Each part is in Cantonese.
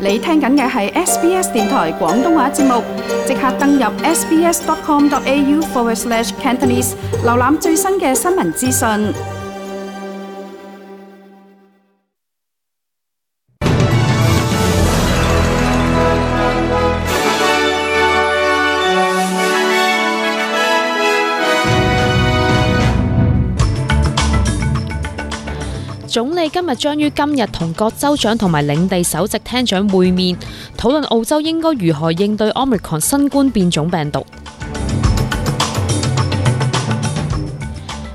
你聽緊嘅係 SBS 電台廣東話節目，即刻登入 sbs.com.au/Cantonese 瀏覽最新嘅新聞資訊。總理今日將於今日同各州長同埋領地首席廳長會面，討論澳洲應該如何應對 Omicron 新冠變種病毒。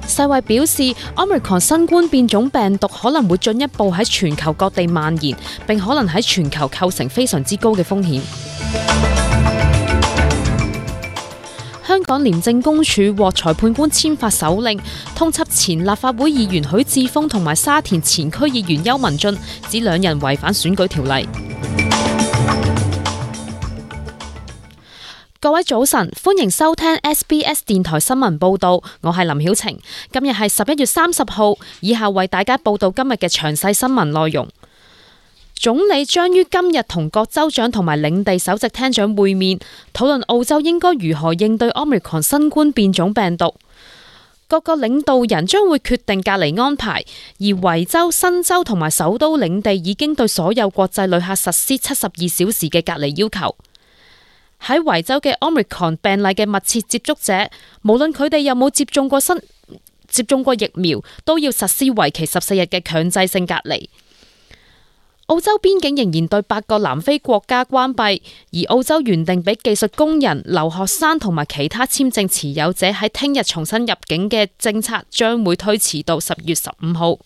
世衛表示 ，Omicron 新冠變種病毒可能會進一步喺全球各地蔓延，並可能喺全球構成非常之高嘅風險。香港廉政公署獲裁判官簽發手令，通緝前立法會議員許智峰同埋沙田前區議員邱文俊，指兩人違反選舉條例。各位早晨，歡迎收聽 SBS 電台新聞報道，我係林曉晴。今日係11月30號，以下為大家報道今日嘅詳細新聞內容。總理將於今日同各州長同埋領地首席廳長會面，討論澳洲應該如何應對 Omicron 新冠變種病毒。各個領導人將會決定隔離安排，而維州、新州同埋首都領地已經對所有國際旅客實施72小時嘅隔離要求。喺維州嘅 Omicron 病例嘅密切接觸者，無論佢哋有冇接種過疫苗，都要實施為期14日嘅強制性隔離。澳洲邊境仍然對8個南非國家關閉，而澳洲原定俾技術工人、留學生同埋其他簽證持有者喺聽日重新入境嘅政策將會推遲到10月15號。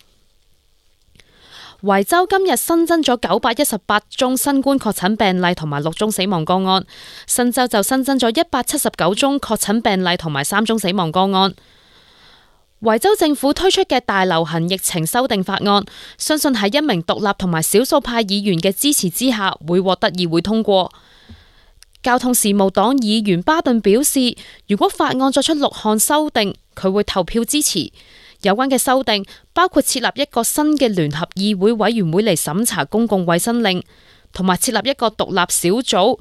維州今日新增咗918宗新冠確診病例同埋6宗死亡個案，新州就新增咗179宗確診病例同埋3宗死亡個案。維州政府推出嘅大流行疫情修訂法案，相信喺一名獨立同埋少數派議員嘅支持之下，會獲得議會通過。交通事務黨議員巴頓表示，如果法案作出6項修訂，佢會投票支持。有關嘅修訂包括設立一個新嘅聯合議會委員會嚟審查公共衛生令，同埋設立一個獨立小組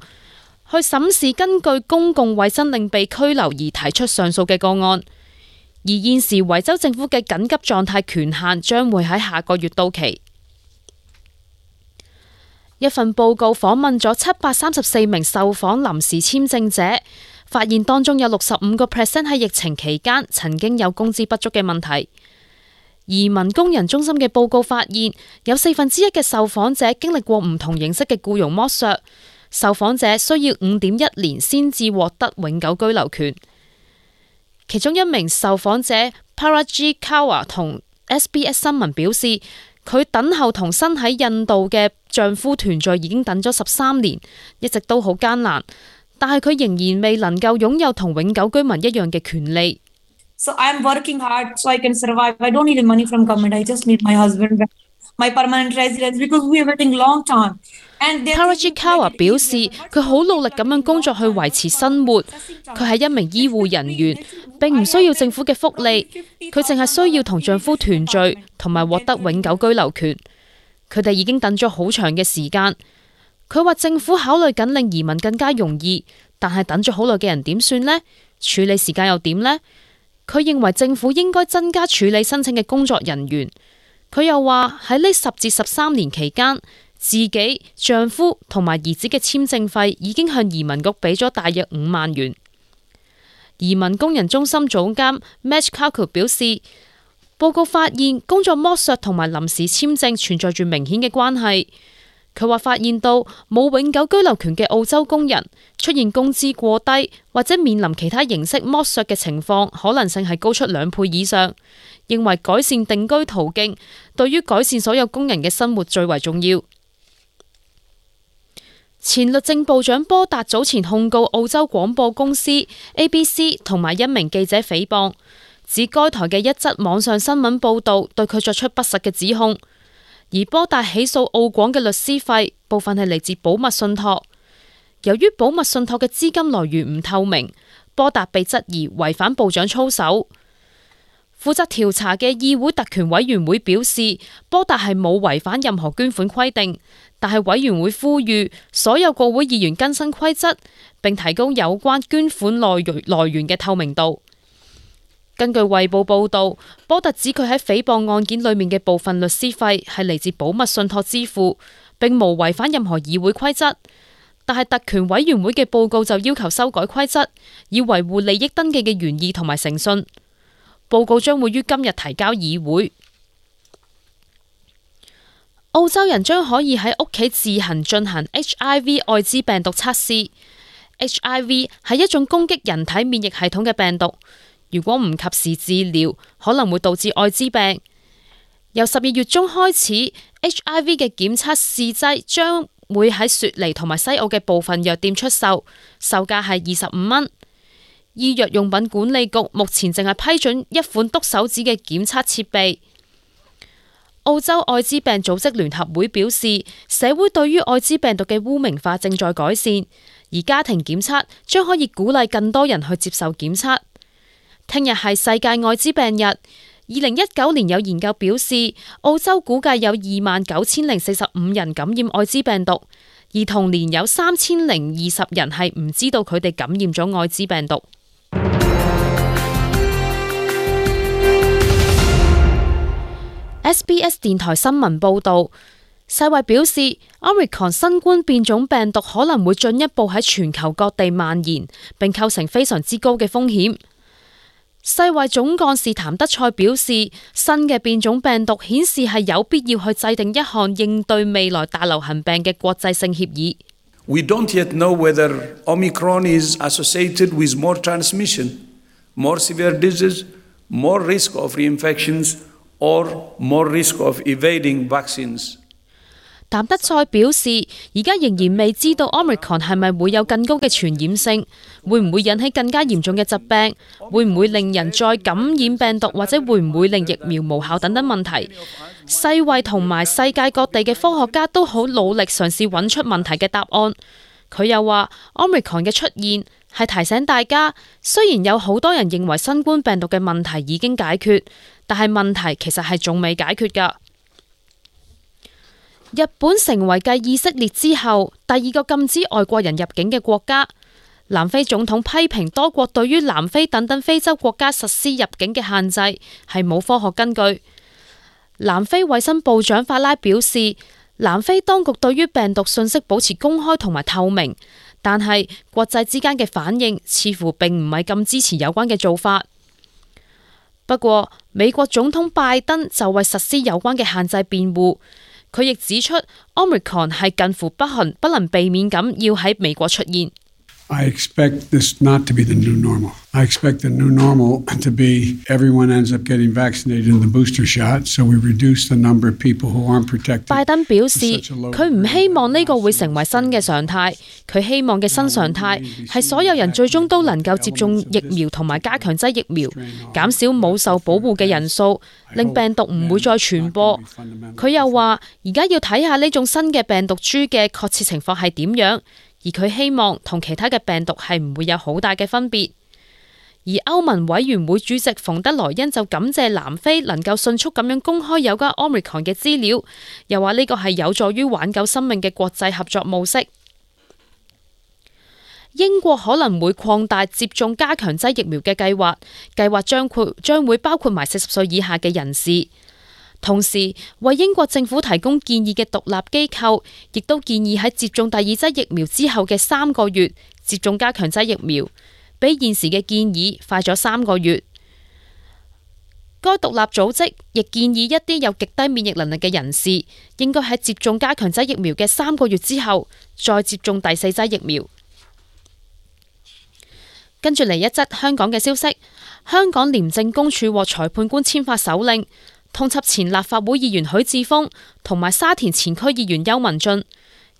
去審視根據公共衛生令被拘留而提出上訴嘅個案。而現時維州政府嘅緊急狀態權限將會喺下個月到期。一份報告訪問咗734名受訪臨時簽證者，發現當中有65% 喺疫情期間曾經有工資不足嘅問題。移民工人中心嘅報告發現，有1/4嘅受訪者經歷過唔同形式嘅僱傭剝削，受訪者需要5.1年先至獲得永久居留權。其中一名受訪者 Paraji Kawa 同 SBS 新聞表示，佢等候同身喺印度嘅丈夫團聚已經等咗13年，一直都好艱難，但係佢仍然未能夠擁有同永久居民一樣嘅權利。So I'm working hard so I can survive. I don't need money from government. I just need my husband, my permanent residence because we are waiting long time. Paraji Kawa 表示，佢好努力咁樣工作去維持生活。佢係一名醫護人員，並唔需要政府嘅福利。佢淨係需要同丈夫團聚，同埋獲得永久居留權。佢哋已經等咗好長嘅時間。佢話政府考慮緊令移民更加容易，但係等咗好耐嘅人點算呢？處理時間又點呢？佢認為政府應該增加處理申請嘅工作人員。佢又話喺呢10至13年期間，自己、丈夫同埋兒子嘅簽證費已經向移民局俾咗大約5萬元。移民工人中心總監 Match Kaku 表示，報告發現工作剝削同埋臨時簽證存在住明顯嘅關係。佢話發現到冇永久居留權嘅澳洲工人出現工資過低或者面臨其他形式剝削嘅情況，可能性係高出2倍以上。認為改善定居途徑對於改善所有工人嘅生活最為重要。前律政部長波達早前控告澳洲廣播公司 ABC 同埋一名記者誹謗，指該台嘅一則網上新聞報導對佢作出不實嘅指控。而波達起訴澳廣嘅律師費部分係嚟自保密信託，由於保密信託嘅資金來源唔透明，波達被質疑違反部長操守。負責調查嘅議會特權委員會表示，波達係冇違反任何捐款規定，但係委員會呼籲所有國會議員更新規則，並提高有關捐款來源嘅透明度。根據衛報報導，波特指佢喺誹謗案件裏面嘅部分律師費係嚟自保密信託支付，並無違反任何議會規則。但係特權委員會嘅報告就要求修改規則，以維護利益登記嘅原意同埋誠信。報告將會於今日提交議會。澳洲人將可以喺屋企自行進行 HIV 愛滋病毒測試。HIV 係一種攻擊人體免疫系統嘅病毒。如果唔及時治療，可能會導致愛滋病。由12月中開始 ，HIV 嘅檢測試劑將會喺雪梨同埋西澳嘅部分藥店出售，售價係25蚊。醫藥用品管理局目前淨係批准一款篤手指嘅檢測設備。澳洲愛滋病組織聯合會表示，社會對於愛滋病毒嘅污名化正在改善，而家庭檢測將可以鼓勵更多人去接受檢測。聽日係世界愛滋病日。2019年有研究表示，澳洲估計有29,045人感染愛滋病毒，而同年有3,020人係唔知道佢哋感染咗愛滋病毒。SBS 電台新聞報導，世衛表示 Omicron 新冠變種病毒可能會進一步喺全球各地蔓延，並構成非常之高嘅風險。世衛總幹事譚德塞表示，新嘅變種病毒顯示係有必要去制定一項應對未來大流行病嘅國際性協議。We don't yet know whether Omicron is associated with more transmission, more severe disease, more risk of reinfections, or more risk of evading vaccines. 譚德塞表示，而家仍然未知道 Omicron 係咪會有更高嘅傳染性，會唔會引起更加嚴重嘅疾病，會唔會令人再感染病毒，或者會唔會令疫苗無效等等問題。世衛同埋世界各地嘅科學家都好努力嘗試揾出問題嘅答案。佢又話 Omicron 嘅出現係提醒大家，雖然有好多人認為新冠病毒嘅問題已經解決，但係問題其實係仲未解決㗎。日本成為繼以色列之後第二個禁止外國人入境嘅國家。南非總統批評多國對於南非等等非洲國家實施入境嘅限制係冇科學根據。南非衛生部長法拉表示，南非當局對於病毒信息保持公開同埋透明，但係國際之間嘅反應似乎並唔係咁支持有關嘅做法。不過，美國總統拜登就為實施有關嘅限制辯護。佢亦指出 Omicron 係近乎不能避免咁要喺美國出現。I expect this not to be the new normal. I expect the new normal to be everyone ends up getting vaccinated in the booster shot, so we reduce the number of people who aren't protected. 拜登表示，佢唔希望呢個會成為新嘅常態。佢希望嘅新常態係所有人最終都能夠接種疫苗同埋加強劑疫苗，減少冇受保護嘅人數，令病毒唔會再傳播。佢又話，而家要睇下呢種新嘅病毒株嘅確切情況係點樣。而佢希望同其他嘅病毒係唔會有好大嘅分別。而歐盟委員會主席馮德萊恩就感謝南非能夠迅速咁樣公開有關 Omicron 嘅資料，又話呢個係有助於挽救生命嘅國際合作模式。英國可能會擴大接種加強劑疫苗嘅計劃將會包括埋40歲以下嘅人士。同時，為英國政府提供建議嘅獨立機構，亦都建議喺接種第二劑疫苗之後嘅3個月接種加強劑疫苗，比現時嘅建議快咗3個月。該獨立組織亦建議一啲有極低免疫能力嘅人士，應該喺接種加強劑疫苗嘅3個月之後，再接種第4劑疫苗。跟住嚟一則香港嘅消息，香港廉政公署獲裁判官簽發手令，通緝前立法會議員許智峰同埋沙田前區議員邱文俊，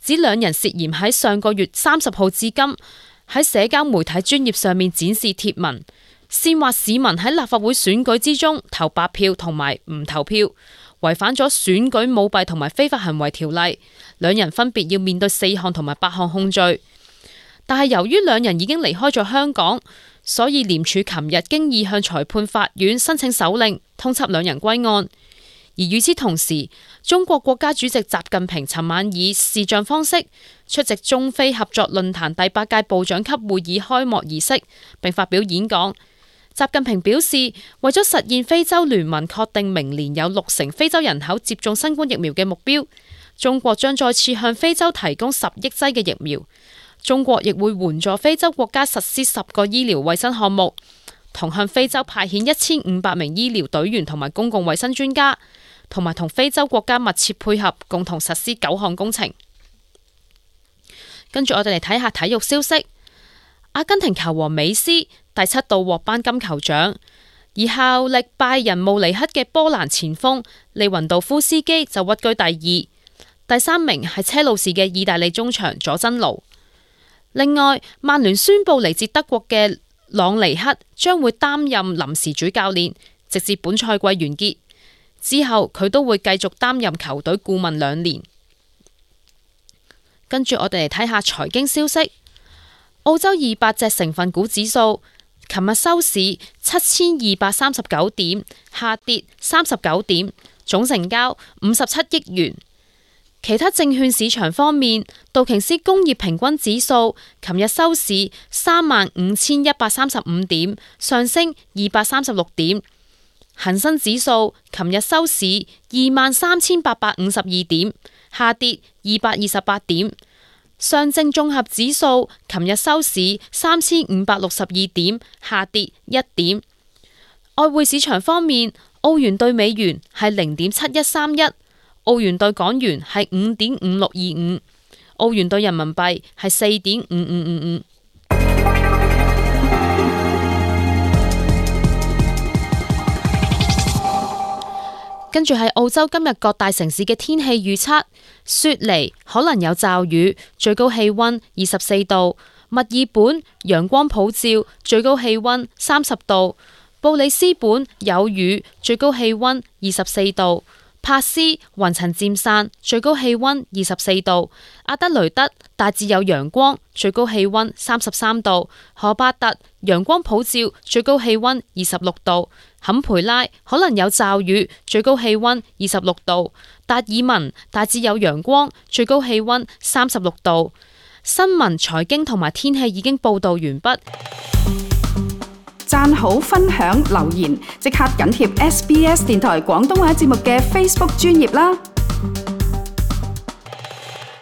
指兩人涉嫌喺上個月30號至今喺社交媒體專頁上面展示貼文，煽惑市民喺立法會選舉之中投白票同埋唔投票，違反咗選舉舞弊同埋非法行為條例。兩人分別要面對4項同埋8項控罪。但係由於兩人已經離開咗香港，所以廉署琴日經已向裁判法院申請手令，通緝兩人歸案。而與此同時，中國國家主席習近平尋晚以視像方式出席中非合作論壇第8屆部長級會議開幕儀式，並發表演講。習近平表示，為咗實現非洲聯盟確定明年有60%非洲人口接種新冠疫苗嘅目標，中國將再次向非洲提供10億劑嘅疫苗。中國亦會援助非洲國家實施10個醫療衛生項目，同向非洲派遣1500名醫療隊員同埋公共衛生專家，同埋同非洲國家密切配合，共同實施9項工程。跟住我哋嚟睇下體育消息。阿根廷球王美斯第7度獲頒金球獎，而效力拜仁慕尼黑嘅波蘭前鋒利雲道夫斯基就屈居第2，第3名係車路士嘅意大利中場佐真奴。另外，曼聯宣布嚟自德國嘅朗尼克將會擔任臨時主教練，直至本賽季完結。之後佢都會繼續擔任球隊顧問2年。跟住我哋嚟睇下財經消息。澳洲200隻成分股指數琴日收市7239點，下跌39點，總成交57億元。其他證券市場方面，道瓊斯工業平均指數琴日收市35135點，上升236點。恒生指數琴日收市23852點，下跌228點。上證綜合指數琴日收市3562點，下跌1點。外匯市場方面，澳元兌美元係0.7131，澳元兌港元係5.5625，澳元兌人民幣係4.5555。跟住係澳洲今日各大城市嘅天氣預測：雪梨可能有驟雨，最高氣溫24度；墨爾本陽光普照，最高氣溫30度；布里斯本有雨，最高氣溫24度；珀斯雲層漸散，最高氣溫24度；阿德雷德大致有陽光，最高氣溫33度；荷巴特陽光普照，最高氣溫26度；坎培拉可能有驟雨，最高氣溫26度；達爾文大致有陽光，最高氣溫36度。新聞、財經同埋天氣已經報道完畢。讚好、分享、留言，即刻緊貼SBS 電台廣東話節目嘅 Facebook 專頁啦！